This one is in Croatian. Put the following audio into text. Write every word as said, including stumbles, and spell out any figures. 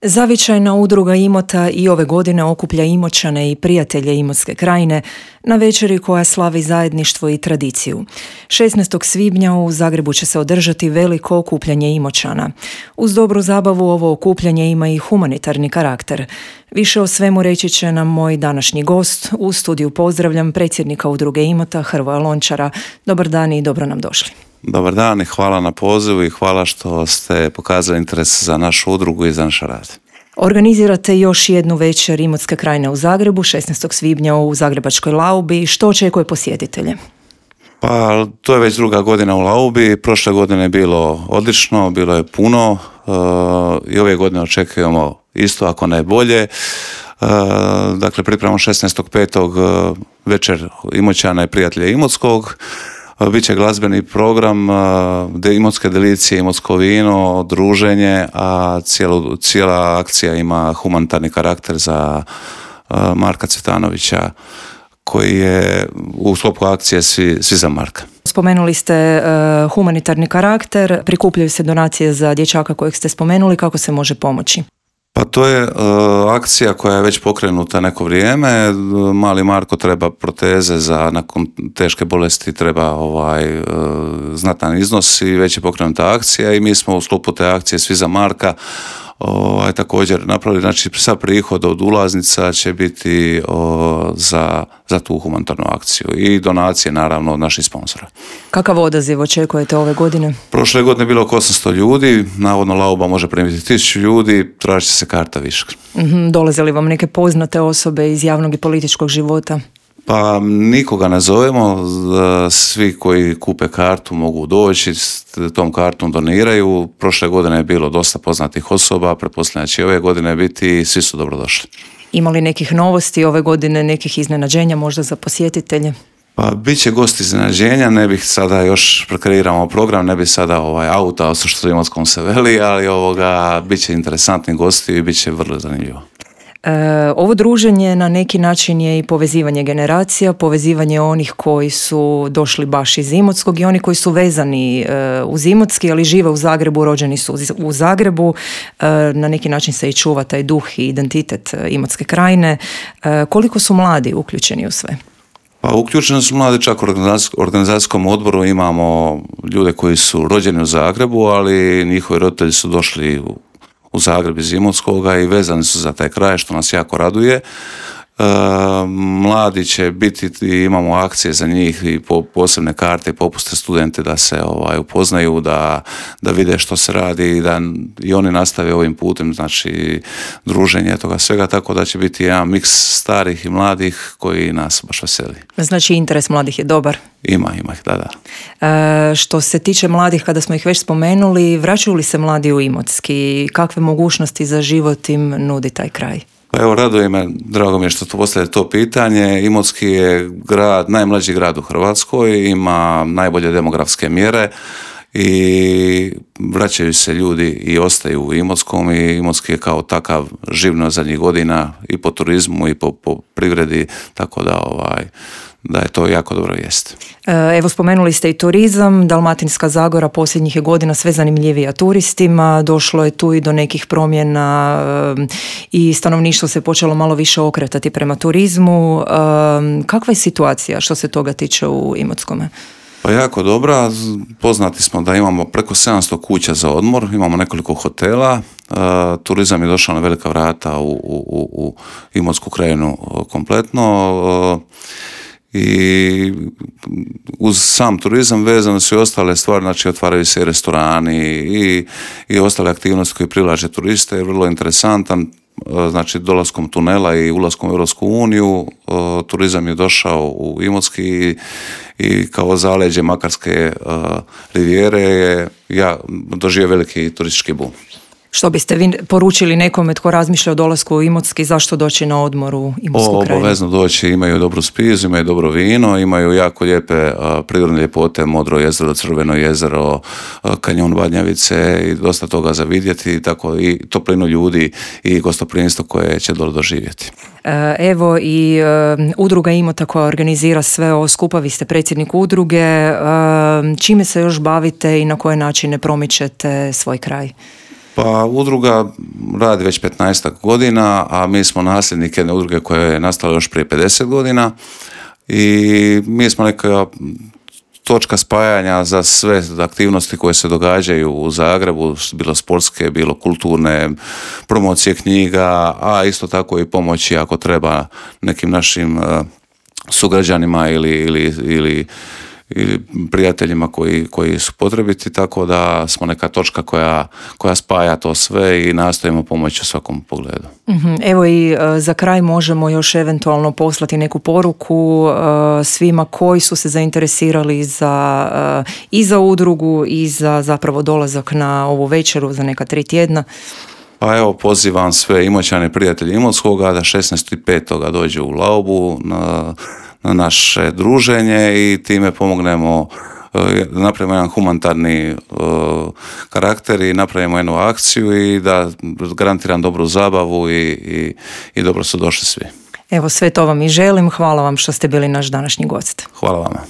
Zavičajna udruga Imota i ove godine okuplja Imoćane i prijatelje Imotske krajine na večeri koja slavi zajedništvo i tradiciju. šesnaestog svibnja u Zagrebu će se održati veliko okupljanje Imoćana. Uz dobru zabavu ovo okupljanje ima i humanitarni karakter. Više o svemu reći će nam moj današnji gost. U studiju pozdravljam predsjednika udruge Imota Hrvoja Lončara. Dobar dan i dobro nam došli. Dobar dan i hvala na pozivu i hvala što ste pokazali interes za našu udrugu i za naš rad. Organizirate još jednu večer Imotske krajine u Zagrebu, šesnaestog svibnja u Zagrebačkoj Laubi. Što očekuje posjetitelje? Pa to je već druga godina u Laubi. Prošle godine je bilo odlično, bilo je puno uh, i ove godine očekujemo isto, ako ne bolje. Uh, dakle, pripremamo šesnaestog petog uh, večer Imoćana i prijatelja Imotskog. Biće glazbeni program, de imotske delicije, imotsko vino, druženje, a cijelu, cijela akcija ima humanitarni karakter za Marka Cvetanovića, koji je u sklopu akcije Svi, svi za Marka. Spomenuli ste uh, humanitarni karakter, prikupljaju se donacije za dječaka kojeg ste spomenuli, kako se može pomoći? Pa to je uh, akcija koja je već pokrenuta neko vrijeme. Mali Marko treba proteze za nakon teške bolesti, treba ovaj uh, znatan iznos i već je pokrenuta akcija i mi smo u sklopu te akcije Svi za Marka ovaj, također napravili, znači sa prihod od ulaznica će biti o, za, za tu humanitarnu akciju i donacije naravno od naših sponzora. Kakav odaziv očekujete ove godine? Prošle godine je bilo oko osamsto ljudi, navodno Lauba može primiti tisuću ljudi, tražit će se karta više. Mm-hmm, dolaze li vam neke poznate osobe iz javnog i političkog života? Pa nikoga ne zovemo, svi koji kupe kartu mogu doći, tom kartom doniraju. Prošle godine je bilo dosta poznatih osoba, pretpostavljam da će ove godine biti, svi su dobrodošli. Ima li nekih novosti ove godine, nekih iznenađenja možda za posjetitelje? Pa bit će gosti iznenađenja, ne bih sada još prekreiramo program, ne bih sada ovaj auta, što u Imotskom se veli, ali ovoga bit će interesantni gosti i bit će vrlo zanimljivo. E, ovo druženje na neki način je i povezivanje generacija, povezivanje onih koji su došli baš iz Imotskog i oni koji su vezani e, uz Imotski, ali žive u Zagrebu, rođeni su u Zagrebu. E, na neki način se i čuva taj duh i identitet Imotske krajine. E, koliko su mladi uključeni u sve? Pa uključeni su mladi, čak u organizacijskom odboru imamo ljude koji su rođeni u Zagrebu, ali njihovi roditelji su došli u u Zagreb iz Imotskoga i vezani su za taj kraj, što nas jako raduje. E, mladi će biti, imamo akcije za njih i po, posebne karte i popuste studente da se ovaj, upoznaju, da, da vide što se radi i da i oni nastave ovim putem, znači druženje toga svega, tako da će biti jedan miks starih i mladih koji nas baš veseli. Znači interes mladih je dobar? Ima, ima ih, da, da. E, što se tiče mladih, kada smo ih već spomenuli, vraćaju li se mladi u Imotski? Kakve mogućnosti za život im nudi taj kraj? Pa evo, raduje me, drago mi je što postavljate to pitanje. Imotski je grad, najmlađi grad u Hrvatskoj, ima najbolje demografske mjere i vraćaju se ljudi i ostaju u Imotskom i Imotski je kao takav živno zadnjih godina i po turizmu i po, po privredi, tako da ovaj da je to jako dobro vijest. Evo, spomenuli ste i turizam. Dalmatinska Zagora posljednjih je godina sve zanimljivija turistima. Došlo je tu i do nekih promjena i stanovništvo se počelo malo više okretati prema turizmu. Kakva je situacija što se toga tiče u Imotskome? Pa jako dobra. Poznati smo da imamo preko sedamsto kuća za odmor, imamo nekoliko hotela. Uh, turizam je došao na velika vrata u, u, u Imotsku krajinu kompletno. Uh, I uz sam turizam vezane su i ostale stvari, znači otvaraju se i restorani i, i ostale aktivnosti koje privlače turiste, je vrlo interesantan. Znači dolaskom tunela i ulaskom u Europsku uniju turizam je došao u Imotski i, i kao zaleđe Makarske uh, rivijere je ja, doživio veliki turistički boom. Što biste vi poručili nekome tko razmišlja o dolasku u Imotski, zašto doći na odmor u Imotsku krajinu? Obavezno doći, imaju dobru spizu, imaju dobro vino, imaju jako lijepe uh, prirodne ljepote, Modro jezero, Crveno jezero, uh, kanjon Badnjavice i dosta toga za vidjeti, tako i toplinu ljudi i gostoprimstvo koje će dole doživjeti. Evo i uh, udruga Imota koja organizira sve ovo skupa, vi ste predsjednik udruge, uh, čime se još bavite i na koje načine promičete svoj kraj? Pa Pa udruga radi već petnaestak godina, a mi smo nasljednik jedne udruge koja je nastala još prije pedeset godina i mi smo neka točka spajanja za sve aktivnosti koje se događaju u Zagrebu, bilo sportske, bilo kulturne, promocije knjiga, a isto tako i pomoći ako treba nekim našim uh, sugrađanima ili, ili, ili, ili prijateljima koji, koji su potrebiti, tako da smo neka točka koja, koja spaja to sve i nastojimo pomoći u svakom pogledu. Mm-hmm. Evo i uh, za kraj možemo još eventualno poslati neku poruku uh, svima koji su se zainteresirali za, uh, i za udrugu i za zapravo dolazak na ovu večeru za neka tri tjedna. Pa evo, pozivam sve Imoćane, prijatelji Imotskoga da šesnaestog petog dođu u Laubu na, na naše druženje i time pomognemo, da napravimo jedan humanitarni uh, karakter i napravimo jednu akciju i da garantiram dobru zabavu i, i, i dobro su došli svi. Evo, sve to vam i želim. Hvala vam što ste bili naš današnji gost. Hvala vama.